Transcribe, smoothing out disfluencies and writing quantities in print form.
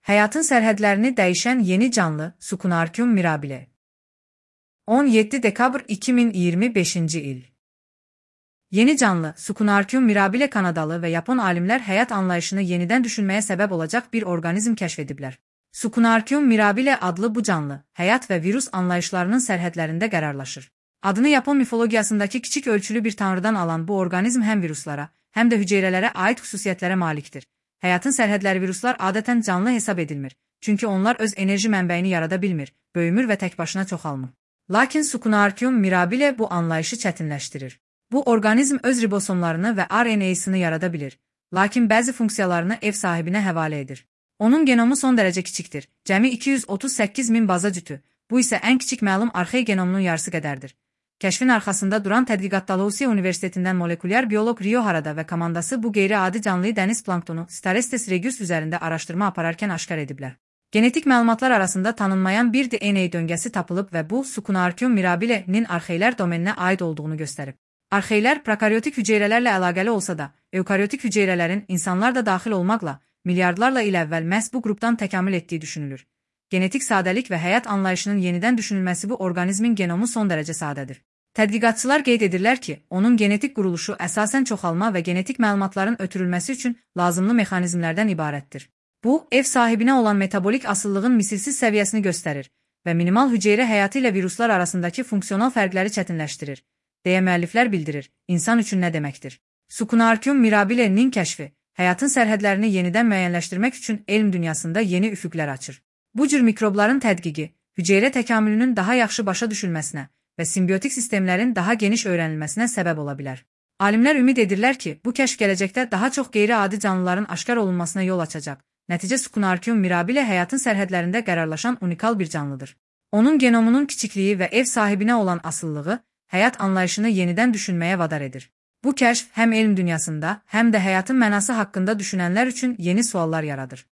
Həyatın sərhədlərini dəyişən yeni canlı Sukunarkum mirabile. 17 dekabr 2025-ci il. Yeni canlı Sukunarkum mirabile Kanadalı və Yapon alimlər həyat anlayışını yenidən düşünməyə səbəb olacaq bir orqanizm kəşf ediblər. Sukunarkum mirabile adlı bu canlı, həyat və virus anlayışlarının sərhədlərində qərarlaşır. Adını Yapon mifologiyasındakı kiçik ölçülü bir tanrıdan alan bu orqanizm həm viruslara, həm də hüceyrələrə aid xüsusiyyətlərə malikdir. Həyatın sərhədləri viruslar adətən canlı hesab edilmir, çünki onlar öz enerji mənbəyini yarada bilmir, böyümür və təkbaşına çoxalmır. Lakin Sukunarkum mirabile bu anlayışı çətinləşdirir. Bu orqanizm öz ribosomlarını və RNA-sını yarada bilir, lakin bəzi funksiyalarını ev sahibinə həvalə edir. Onun genomu son dərəcə kiçikdir, cəmi 238 min baza cütü, bu isə ən kiçik məlum arxey genomunun yarısı qədərdir. Kəşfin arxasında duran tədqiqat Dalhousie Universitetindən molekulyar bioloq Rio Harada və komandası bu qeyri-adi canlıyı dəniz planktonu Starostes regius üzərində araşdırma apararkən aşkar ediblər. Genetik məlumatlar arasında tanınmayan bir DNA döngəsi tapılıb və bu Sukunarkum mirabile-nin arxeylər domeninə aid olduğunu göstərib. Arxeylər prokaryotik hüceyrələrlə əlaqəli olsa da, eukaryotik hüceyrələrin insanlar da daxil olmaqla milyardlarla il əvvəl məhz bu qrupdan təkamül etdiyi düşünülür. Genetik sadəlik və həyat anlayışının yenidən düşünülməsi bu orqanizmin genomu son dərəcə sadədir. Tədqiqatçılar qeyd edirlər ki, onun genetik quruluşu əsasən çoxalma və genetik məlumatların ötürülməsi üçün lazımlı mexanizmlərdən ibarətdir. Bu, ev sahibinə olan metabolik asıllığın misilsiz səviyyəsini göstərir və minimal hüceyrə həyatı ilə viruslar arasındakı funksional fərqləri çətinləşdirir, deyə müəlliflər bildirir. İnsan üçün nə deməkdir? Sukunarkum mirabile-nin kəşfi, həyatın sərhədlərini yenidən müəyyənləşdirmək üçün elm dünyasında yeni üfüqlər açır. Bu cür mikrobların tədqiqi, hüceyrə təkamülünün daha yaxşı başa düşülməsinə və simbiotik sistemlərin daha geniş öyrənilməsinə səbəb ola bilər. Alimlər ümid edirlər ki, bu kəşf gələcəkdə daha çox qeyri-adi canlıların aşkar olunmasına yol açacaq. Nəticə Sukunarkum mirabile həyatın sərhədlərində qərarlaşan unikal bir canlıdır. Onun genomunun kiçikliyi və ev sahibinə olan asılılığı həyat anlayışını yenidən düşünməyə vadar edir. Bu kəşf həm elm dünyasında, həm də həyatın mənası haqqında düşünənlər üçün yeni suallar yaradır.